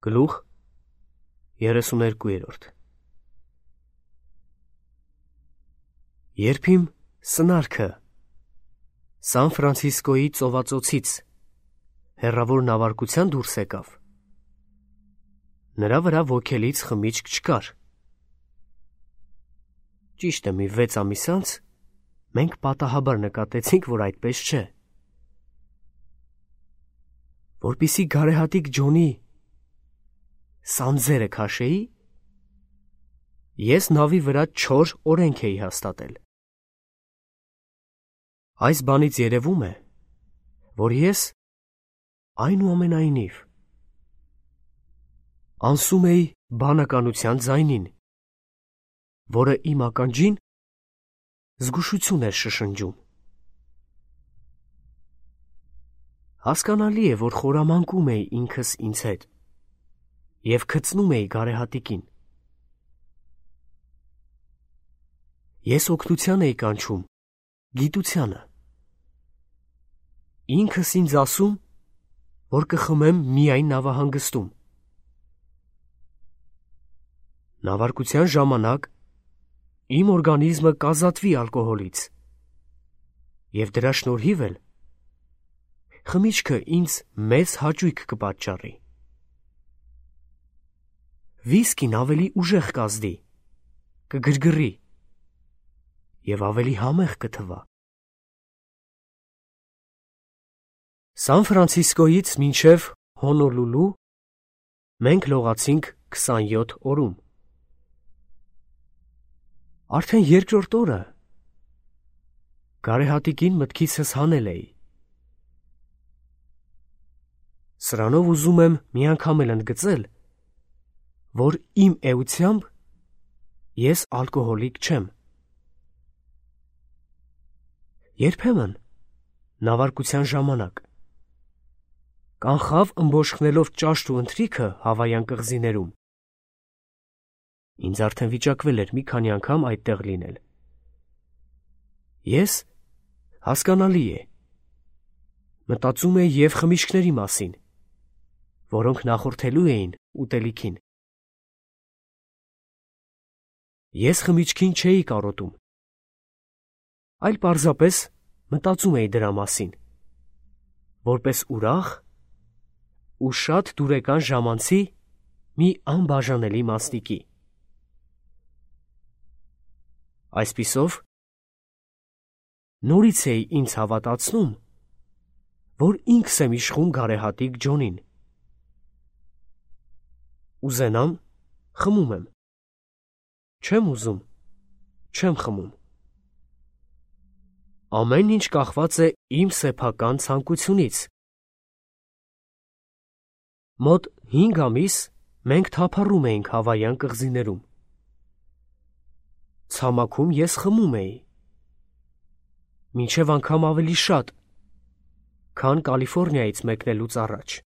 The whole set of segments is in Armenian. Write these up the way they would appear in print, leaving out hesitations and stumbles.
Գլուխ 32 Երբ իմ սնարքը Սան Ֆրանցիսկոյի ծովածոցից հեռավոր նավարկության դուրս եկավ, նրա վրա ոգելից խմիչք չկար։ Ճիշտ է, մի 6 ամիս անց մենք պատահաբար նկատեցինք, որ այդպես չէ։ Որպեսզի գարեհատիկ Ջոնի սանձերը քաշեի, ես նավի վրա 4 օրենք էի հաստատել։ Այս բանից երևում է, որ ես այնուամենայնիվ անսում էի բանականության ձայնին, որը իմ ականջին զգուշություն էր շշնջում։ Հասկանալի է, որ խորամանկում էի ինքս ինձ հետ և քծնում էի գարեհատիկին։ Ես օգնության էի կանչում գիտությանը, ինքս ինձ ասում, որ կխմեմ միայն նավահանգստում։ Նավարկության ժամանակ իմ օրգանիզմը կազատվի ալկոհոլից, և դրա շնորհիվ էլ խմիչքը ինձ մեծ հաճույք կպատճառի։ Վիսկին ավելի ուժեղ կազդի, կգրգռի և ավելի համեղ կթվա։ Սան Ֆրանցիսկոյից մինչև Հոնոլուլու մենք լողացինք 27 օրում։ Արդեն երկրորդ օրը գարեհատիկին մտքիցս հանել էի։ Սրանով ուզում եմ մի անգամ էլ ընդգծել, որ իմ էությամբ ես ալկոհոլիկ չեմ։ Երբեմն նավարկության ժամանակ կանխավ ըմբոշխնելով ճաշտ ու ընթրիքը Հավայան կղզիներում, ինձ արդեն վիճակվել էր մի քանի անգամ այդտեղ լինել։ Ես, հասկանալի է, մտածում էի և խմիչքների մասին, որոնք նախորդելու էին ուտելիքին։ Ես խմիչքին չէի կարոտում, այլ պարզապես մտածում էի դրա մասին, որպես ուրախ ու շատ դուրեկան ժամանցի մի անբաժանելի մասնիկի։ Այսպիսով, նորից էի ինձ հավատացնում, որ ինքս եմ իշխում գարեհատիկ Ջոնին։ Ուզենամ, խմում եմ, չեմ ուզում, չեմ խմում։ Ամեն ինչ կախված է իմ սեփական ցանկությունից։ Մոտ 5 ամիս մենք թափառում էինք Հավայան կղզիներում։ Ցամաքում ես խմում էի, մինչև անգամ ավելի շատ, քան Կալիֆոռնիայից մեկնելուց առաջ։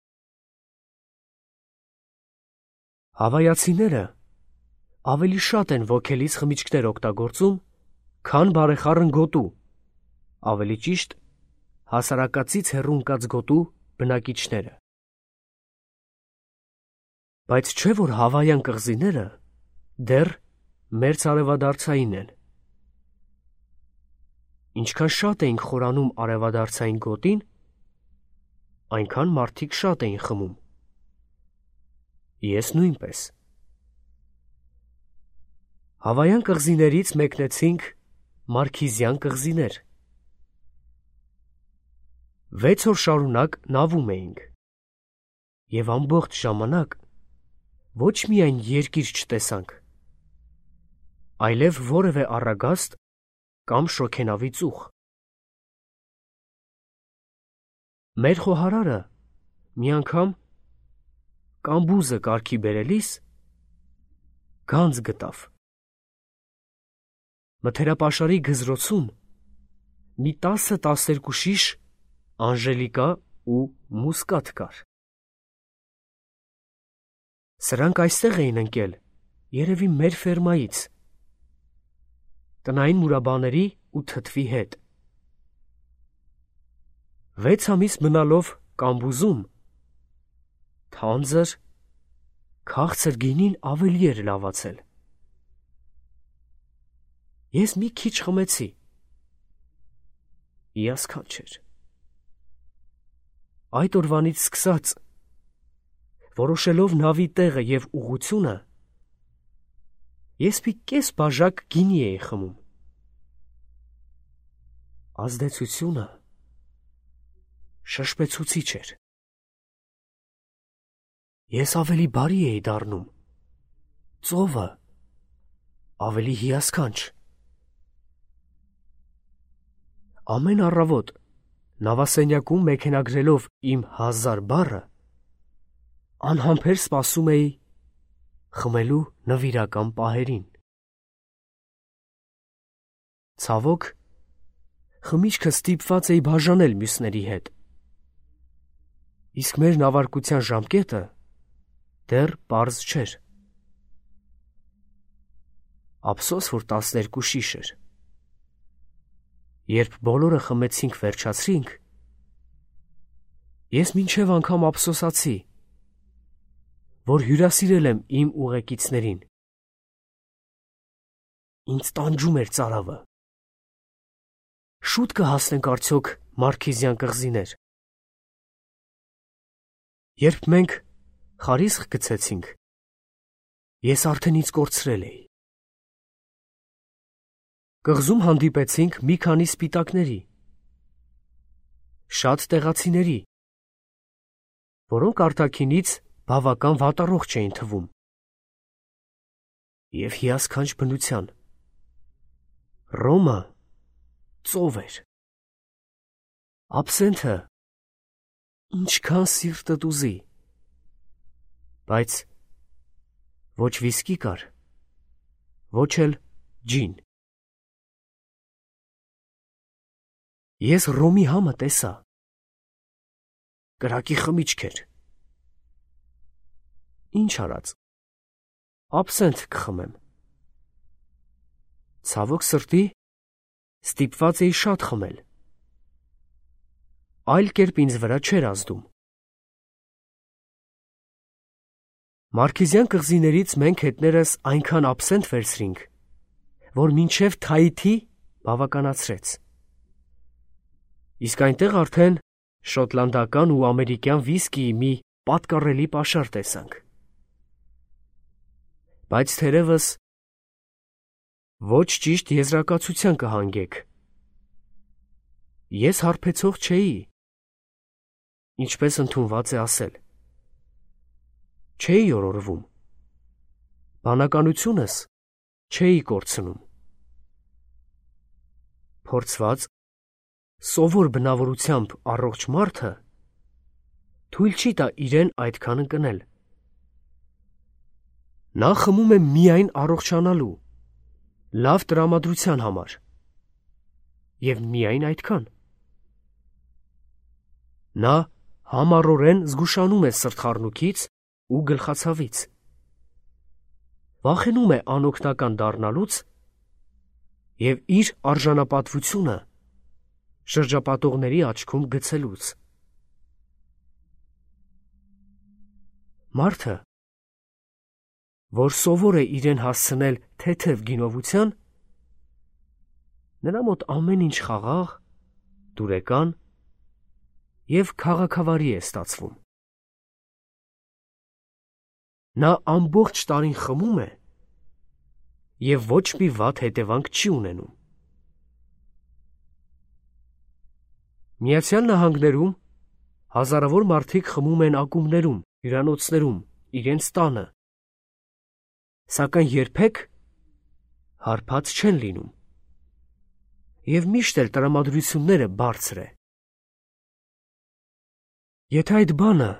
Հավայացիները ավելի շատ են ոգելից խմիչքներ օգտագործում, քան բարեխառն գոտու, ավելի ճիշտ, հասարակածից հեռու ընկած գոտու բնակիչները։ Բայց չէ՞ որ Հավայան կղզիները դեռ մերձարևադարձային են։ Ինչքան շատ էինք խորանում արևադարձային գոտին, այնքան մարդիկ շատ էին խմում։ Ես նույնպես։ Հավայան կղզիներից մեկնեցինք Մարքիզյան կղզիներ։ 6 օր շարունակ նավում էինք, և ամբողջ ժամանակ ոչ միայն երկիր չտեսանք, այլև որևէ առագաստ կամ շոգենավի ծուխ։ Մեր խոհարարը մի անգամ կամբուզը կարգի բերելիս գանձ գտավ։ Մթերապաշարի գզրոցում մի 10-12 շիշ անժելիկա ու մուսկաթ կար։ Սրանք այստեղ էին ընկել, երևի մեր ֆերմայից, տնային մուրաբաների ու թթվի հետ։ 6 ամիս մնալով կամբուզում, թանձր, քաղցր գինին ավելի էր լավացել։ Ես մի քիչ խմեցի։ Հիասքանչ էր։ Այդ օրվանից սկսած, որոշելով նավի տեղը և ուղղությունը, ես մի կես բաժակ գինի էի խմում։ Ազդեցությունը շշպեցուցիչ էր։ Ես ավելի բարի էի դառնում, ծովը ավելի հիասքանչ։ Ամեն առավոտ նավասենյակում մեքենագրելով իմ 1000 բառը, անհամբեր սպասում էի խմելու նվիրական պահերին։ Ցավոք, խմիչքը ստիպված էի բաժանել մյուսների հետ, իսկ մեր նավարկության ժամկետը դեռ պարզ չէր։ Ափսոս, որ 12 շիշ էր։ Երբ բոլորը խմեցինք վերջացրինք, ես մինչև անգամ ափսոսացի, որ հյուրասիրել եմ իմ ուղեկիցներին։ Ինձ տանջում էր ծարավը։ Շուտ կհասնենք արդյոք Մարքիզյան կղզիներ։ Երբ մենք խարիսխ գցեցինք, ես արդեն ինձ կորցրել էի։ Կղզում հանդիպեցինք մի քանի սպիտակների, շատ տեղացիների, որոնք արտաքինից բավական վատառողջ էին թվում և հիասքանչ բնության։ Ռոմը ծով էր։ Աբսենթը ինչքան սիրտդ ուզի, բայց ոչ վիսկի կար, ոչ էլ ջին։ Ես ռոմի համը տեսա։ Կրակի խմիչք էր։ Ինչ արած, աբսենթ կխմեմ։ Ցավոք սրտի, ստիպված էի շատ խմել։ Այլ կերպ ինձ վրա չէր ազդում։ Մարքիզյան կղզիներից մենք հետներս այնքան աբսենթ վերցրինք, որ մինչև Թայիթի բավականացրեց։ Իսկ այնտեղ արդեն շոտլանդական ու ամերիկյան վիսկիի մի պատկառելի պաշար տեսանք։ Բայց թերևս ոչ ճիշտ եզրակացության կհանգեք։ Ես հարբեցող չէի, ինչպես ընդունված է ասել։ Չէի օրորվում։ Բանականությունս չէի կորցնում։ Փորձված, սովոր բնավորությամբ առողջ մարդը թույլ չի տա իրեն այդքան ընկնել։ Նա խմում է միայն առողջանալու, լավ տրամադրության համար և միայն այդքան։ Նա համառորեն զգուշանում է սրտխառնոքից ու գլխացավից։ Վախենում է անօգնական դառնալուց և իր արժանապատվությունը շրջապատողների աչքում գցելուց։ Մարդը, որ սովոր է իրեն հասցնել թեթև գինովության, նրա մոտ ամեն ինչ խաղաղ, դուրեկան և քաղաքավարի է ստացվում։ Նա ամբողջ տարին խմում է և ոչ մի վատ հետևանք չի ունենում։ Միացյալ Նահանգներում հազարավոր մարդիկ խմում են ակումբներում, հյուրանոցներում, իրենց տանը, սակայն երբեք հարբած չեն լինում և միշտ էլ տրամադրությունները բարձր է։ Եթե այդ բանը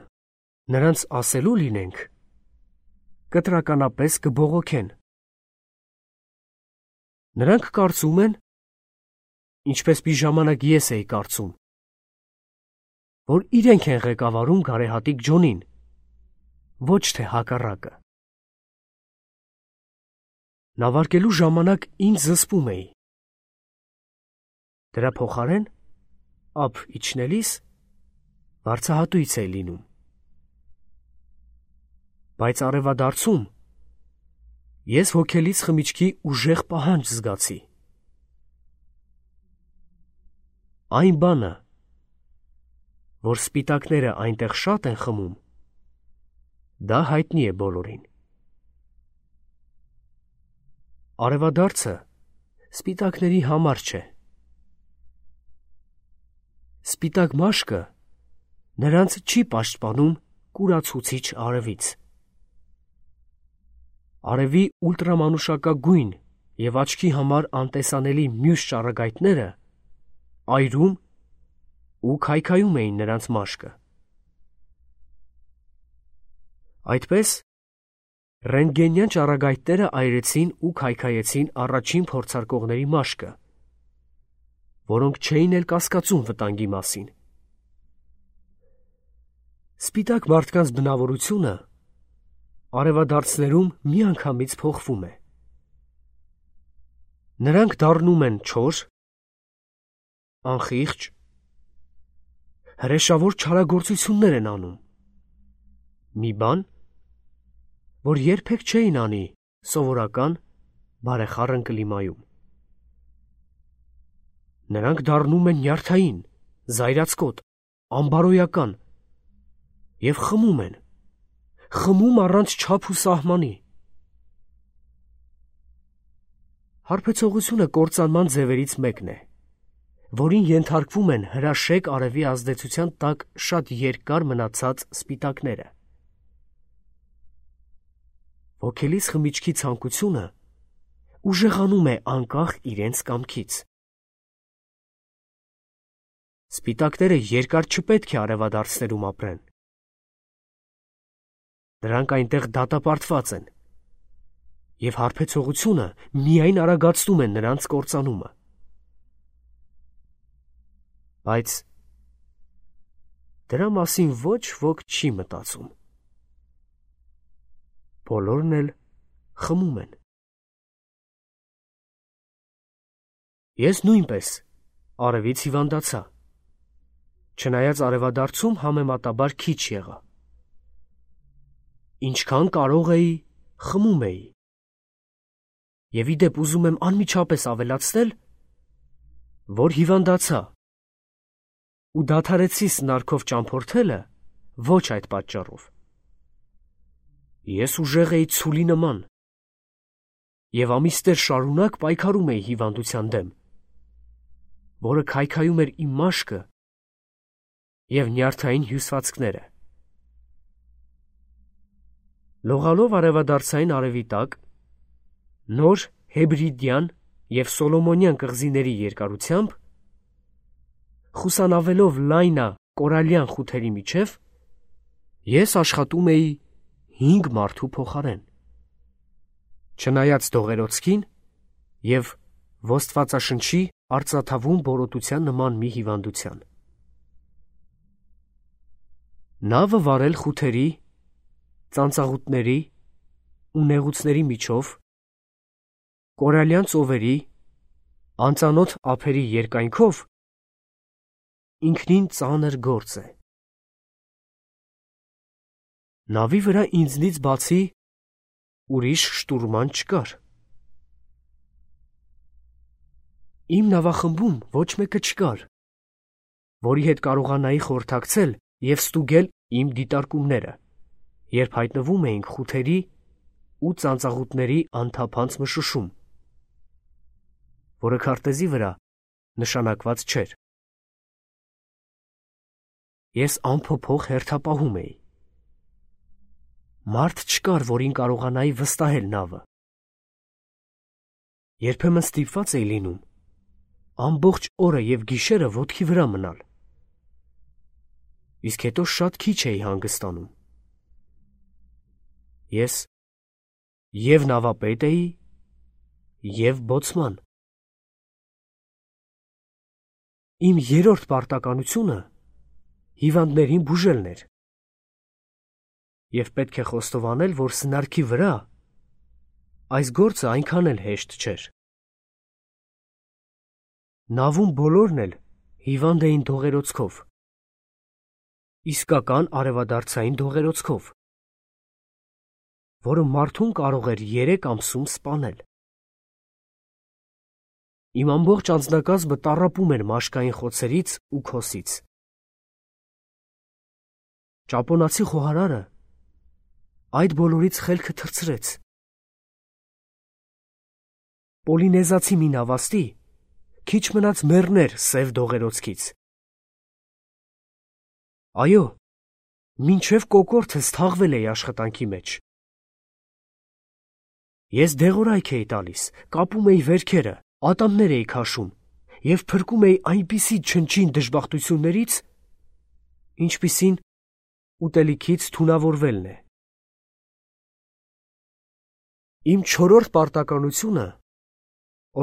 նրանց ասելու լինենք, կտրականապես կբողոքեն։ Նրանք կարծում են, ինչպես մի ժամանակ ես էի կարծում, որ իրենք են ղեկավարում գարեհատիկ Ջոնին, ոչ թե հակառակը։ Նավարկելու ժամանակ ինձ զսպում էի։ Դրա փոխարեն ափ իջնելիս վարձահատույց էի լինում։ Բայց արևադարձում ես հոգելից խմիչքի ուժեղ պահանջ զգացի։ Այն բանը, որ սպիտակները այնտեղ շատ են խմում, դա հայտնի է բոլորին։ Արևադարձը սպիտակների համար չէ։ Սպիտակ մաշկը նրանց չի պաշտպանում կուրացուցիչ արևից։ Արևի ուլտրամանուշակագույն և աչքի համար անտեսանելի մյուս ճառագայթները այրում ու քայքայում էին նրանց մաշկը։ Այդպես ռենտգենյան ճառագայթները այրեցին ու քայքայեցին առաջին փորձարկողների մաշկը, որոնք չէին էլ կասկածում վտանգի մասին։ Սպիտակ մարդկանց բնավորությունը արևադարձներում միանգամից փոխվում է։ Նրանք դառնում են չոր, անխիղճ, հրեշավոր չարագործություններ են անում։ Մի բան, որ երբեք չէին անի սովորական բարեխառն կլիմայում։ Նրանք դառնում են նյարդային, զայրացկոտ, անբարոյական և խմում են, խմում առանց չափ ու սահմանի։ Հարբեցողությունը կործանման ձևերից մեկն է, որին ենթարկվում են հրաշեկ արևի ազդեցության տակ շատ երկար մնացած սպիտակները։ Հոգելից խմիչքի ցանկությունը ուժեղանում է անկախ իրենց կամքից։ Սպիտակները երկար չպետք է արևադարձներում ապրեն։ Նրանք այնտեղ դատապարտված են, և հարբեցողությունը միայն արագացնում է նրանց կործանումը։ Բայց դրա մասին ոչ ոք չի մտածում։ Բոլորն էլ խմում են։ Ես նույնպես արևից հիվանդացա, չնայած արևադարձում համեմատաբար քիչ եղա։ Ինչքան կարող էի, խմում էի։ Եվ ի դեպ ուզում եմ անմիջապես ավելացնել, որ հիվանդացա ու դադարեցի սնարքով ճամփորդելը ոչ այդ պատճառով։ Ես ուժեղ էի ցուլի նման և ամիսներ շարունակ պայքարում էի հիվանդության դեմ, որը քայքայում էր իմ մաշկը և նյարդային հյուսվածքները։ Լողալով արևադարձային արևի տակ, նոր հեբրիդյան և սոլոմոնյան կղզիների երկարությամբ, խուսանավելով լայնա կորալյան խութերի միջև, ես աշխատում էի 5 մարդու փոխարեն, չնայած դողերոցքին և ոստվածաշնչի արծաթավուն բորոտության նման մի հիվանդության։ Նավը վարել խութերի, ծանծաղուտների ու նեղուցների միջով, կորալյան ծովերի, անծանոթ ափերի երկայնքով ինքնին ծանր գործ է։ Նավի վրա ինձնից բացի ուրիշ շտուրման չկար։ Իմ նավախմբում ոչ մեկը չկար, որի հետ կարողանայի խորհրդակցել և ստուգել իմ դիտարկումները, երբ հայտնվում էինք խութերի ու ծանծաղուտների անթափանց մշուշում, որը քարտեզի վրա նշանակված չէր։ Ես անփոփոխ հերթապահում էի։ Մարդ չկար, որին կարողանայի վստահել նավը։ Երբեմն ստիպված էի լինում ամբողջ օրը և գիշերը ոտքի վրա մնալ, իսկ հետո շատ քիչ էի հանգստանում։ Ես և նավապետ էի, և բոցման։ Իմ երրորդ պարտականությունը հիվանդներին բուժելն էր, և պետք է խոստովանել, որ սնարքի վրա այս գործը այնքան էլ հեշտ չէր։ Նավում բոլորն էլ հիվանդ էին դողերոցքով, իսկական արևադարձային դողերոցքով։ որը մարդուն կարող էր 3 ամսում սպանել։ Իմ ամբողջ անձնակազմը տառապում էր մաշկային խոցերից ու քոսից։ Ճապոնացի խոհարարը այդ բոլորից խելքը թռցրեց։ Պոլինեզացի մի նավաստի քիչ մնաց մեռներ սև դողերոցքից։ Այո, մինչև կոկորդս թաղվել էի աշխատանքի մեջ։ Ես դեղորայք էի տալիս, կապում էի վերքերը, ատամներ էի քաշում և փրկում էի այնպիսի չնչին դժբախտություններից, ինչպիսին ուտելիքից թունավորվելն է։ Իմ 4-րդ պարտականությունը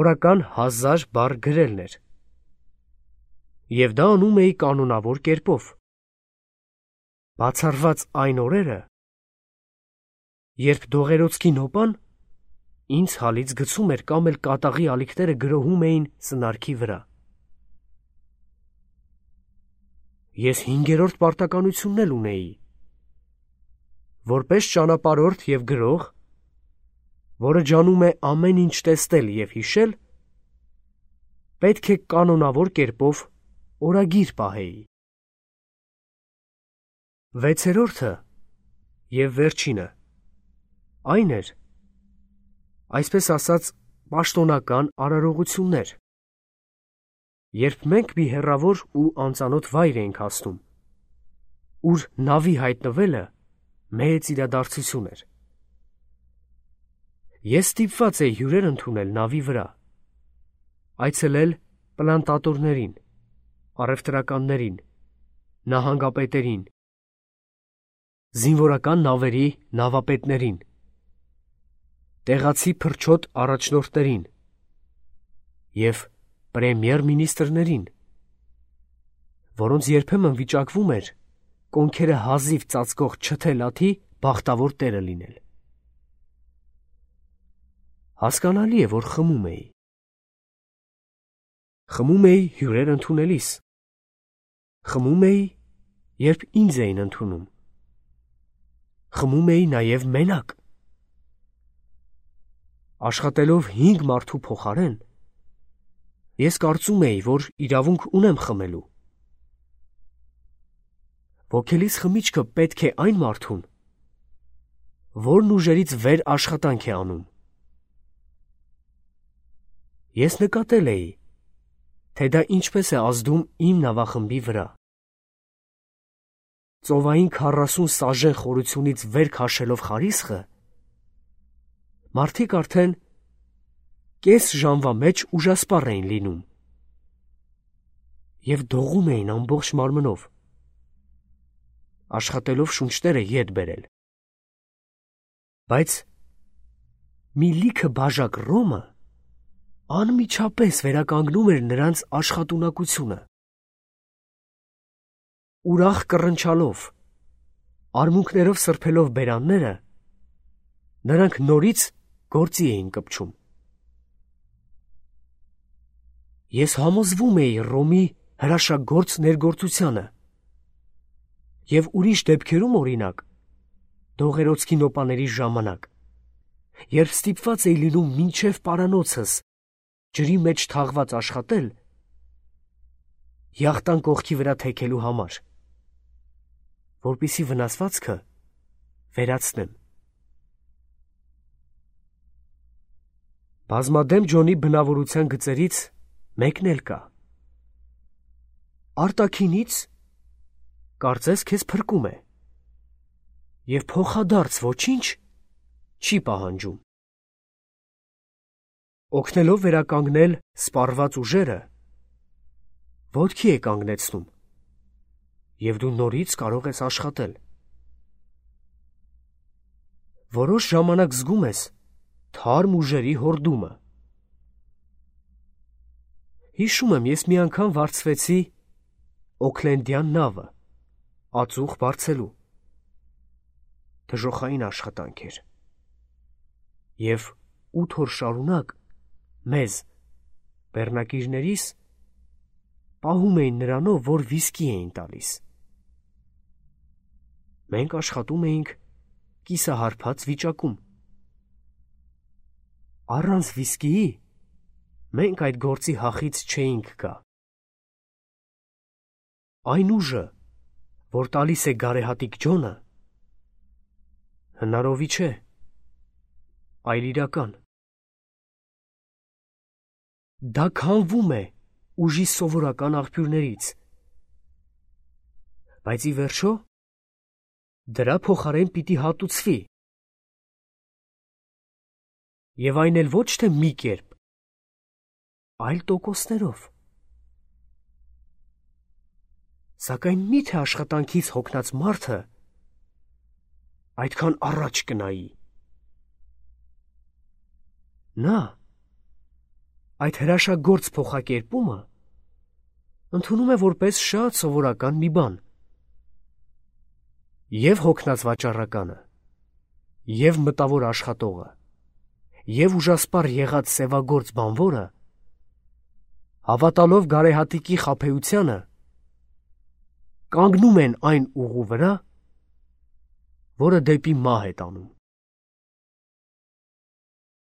օրական 1000 բառ գրելն էր, և դա անում էի կանոնավոր կերպով։ Բացառված այն օրերը, երբ դողերոցքի նոպան ինձ հալից գցում էր կամ էլ կատաղի ալիքները գրոհում էին սնարքի վրա։ Ես 5-րդ պարտականությունն էլ ունեի։ Որպես ճանապարհորդ և գրող, որը ջանում է ամեն ինչ տեսնել և հիշել, պետք է կանոնավոր կերպով օրագիր պահեի։ 6-րդը և վերջինը այն էր, այսպես ասած, պաշտոնական արարողություններ, երբ մենք մի հեռավոր ու անծանոթ վայր էինք հասնում, ուր նավի հայտնվելը մեծ իրադարձություն էր։ Ես ստիպված էի հյուրեր ընդունել նավի վրա, այցելել պլանտատորներին, առևտրականներին, նահանգապետերին, զինվորական նավերի նավապետներին, տեղացի փրչոտ առաջնորդներին և պրեմիեր մինիստրներին, որոնց երբեմն վիճակվում էր կոնքերը հազիվ ծածկող չթե լաթի բախտավոր տերը լինել։ Հասկանալի է, որ խմում էի։ Խմում էի հյուրեր ընդունելիս։ Խմում էի, երբ ինձ էին ընդունում։ Խմում էի նաև մենակ։ Աշխատելով 5 մարդու փոխարեն, ես կարծում էի, որ իրավունք ունեմ խմելու։ Ոգելից խմիչքը պետք է այն մարդուն, որն ուժերից վեր աշխատանք է անում։ Ես նկատել էի, թե դա ինչպես է ազդում իմ նավախմբի վրա։ Ծովային 40 սաժեն խորությունից վեր քաշելով խարիսխը, մարդիկ արդեն կես ժամվա մեջ ուժասպառ էին լինում և դողում էին ամբողջ մարմնով, աշխատելով շունչները ետ բերել։ Բայց մի լիքը բաժակ ռոմը անմիջապես վերականգնում էր նրանց աշխատունակությունը։ Ուրախ կռնչալով, արմունկներով սրբելով բերանները, նրանք նորից գործի էին կպչում։ Ես համոզվում էի Ռոմի հրաշագործ ներգործությանը և ուրիշ դեպքերում, օրինակ, դողերոցքի նոպաների ժամանակ, երբ ստիպված էի լինում մինչև պարանոցս ջրի մեջ թաղված աշխատել, յախտան կողքի վրա թեքելու համար, որպեսզի վնասվածքը վերացնեմ։ Բազմադեմ Ջոնի բնավորության գծերից մեկն էլ կա։ Արտաքինից կարծես քեզ փրկում է և փոխադարձ ոչինչ չի պահանջում։ Օգնելով վերականգնել սպառված ուժերը, ոտքի է կանգնեցնում, և դու նորից կարող ես աշխատել։ Որոշ ժամանակ զգում ես թարմ ուժերի հորդումը։ Հիշում եմ, ես մի անգամ վարձվեցի Օքլենդյան նավը, ածուխ բարձելու։ Դժոխային աշխատանք էր։ Եվ 8 օր շարունակ մեզ, բեռնակիրներիս, պահում էին նրանով, որ վիսկի էին տալիս։ Մենք աշխատում էինք կիսահարբած վիճակում։ Առանց վիսկիի մենք այդ գործի հախից չէինք գա։ Այն ուժը, որ տալիս է գարեհատիկ Ջոնը, հնարովի չէ, այլ իրական։ Դա քանվում է ուժի սովորական աղբյուրներից, բայց ի վերջո դրա փոխարեն պիտի հատուցվի, եւ այն էլ ոչ թե մի կերպ, այլ տոկոսներով։ Սակայն մի՞թե աշխատանքից հոգնած մարդը այդքան առաջ կնայի։ Նա այդ հրաշագործ փոխակերպումը ընդունում է որպես շատ սովորական մի բան։ Եվ հոգնած վաճառականը, եւ մտավոր աշխատողը, եւ ուժասպառ եղած սևագործ բանվորը, հավատալով գարեհատիկի խաբեությանը, կանգնում են այն ուղու վրա, որը դեպի մահ է տանում։